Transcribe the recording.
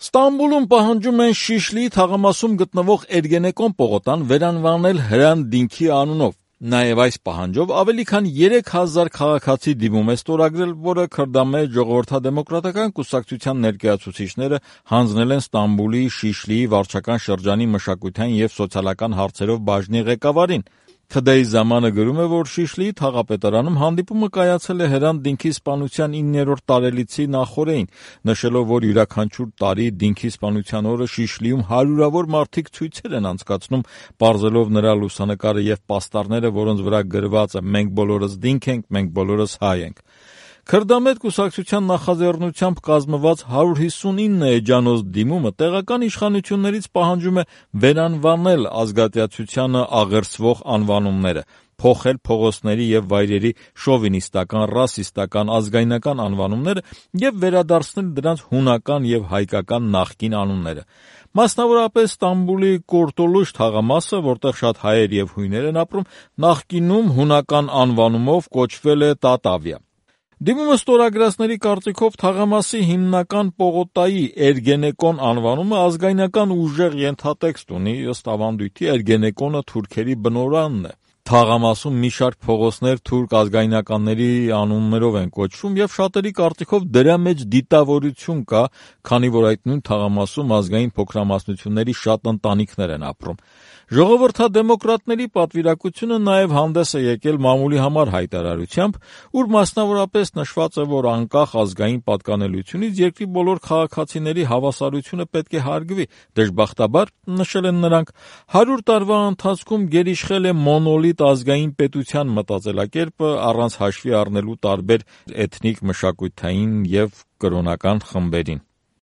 Ստամբուլում պահանջում են Շիշլիի թաղամասում գտնվող Էրգենեկոն պողոտան վերանվանել Հրան Դինքի անունով։ Նաև այս պահանջով ավելի քան 3000 քաղաքացի դիմում է ստորագրել, որը Քրդամեջ ժողովրդադեմոկրատական կուսակցության ներկայացուցիչները հանձնել են Ստամբուլի Շիշլիի վարչական շրջանի մշակութային և սոցիալական հարցերով բաժնի ղեկավարին։ Քդեի Զամանը գրում է, որ Շիշլիի թաղապետարանում հանդիպումը կայացել է Հրան Դինքի սպանության 9-րդ տարելիցի նախօրեին, նշելով, որ յուրաքանչյուր տարի Դինքի սպանության օրը Շիշլիում հարյուրավոր մարդիկ ցույցեր են անցկացնում, պարզելով նրա լուսանկարը և պաստառները, որոնց վրա գրված է «Մենք բոլորս Դինք ենք, մենք բոլորս հայ ենք»։ Քրդամետ կուսակցության նախաձեռնությամբ կազմված 159 էջանոց դիմումը տեղական իշխանություններից պահանջում է վերանվանել ազգատյացությանը աղերսվող անվանումները, փոխել փողոցների և վայրերի շովինիստական, ռասիստական, ազգայնական անվանումները և վերադարձնել դրանց հունական և հայկական նախկին անունները։ Մասնավորապես Ստամբուլի Կորտոլուշ թաղամասը, որտեղ շատ հայեր և հույներ են ապրում, նախկինում հունական անվանումով կոչվել է Տատավիա։ Դիմումը ստորագրածների կարծիքով թաղամասի հիմնական պողոտայի Էրգենեկոն անվանումը ազգայնական ուժեղ ենթատեքստ ունի, ըստ ավանդույթի Էրգենեկոնը թուրքերի բնօրանն է։ Թաղամասում մի շարք փողոցներ թուրք ազգայնականների անուններով են կոչվում և շատերի կարծիքով դրա մեջ դիտավորություն կա, քանի որ այդ նույն թաղամասում ազգային փոքրամասնությունների շատ ընտանիքներ են ապրում։ Ժողովրդադեմոկրատների պատվիրակությունը նաև հանդես է եկել մամուլի համար հայտարարությամբ, ուր մասնավորապես նշված է, որ անկախ ազգային պատկանելությունից երկրի բոլոր քաղաքացիների հավասարությունը պետք է հարգվի։ Դժբախտաբար, նշել են նրանք, 100 տարվա ընթացքում գերիշխել է մոնոլիտ ազգային պետության մտածելակերպը առանց հաշվի առնելու տարբեր էթնիկ, մշակութային և կրոնական խմբերին։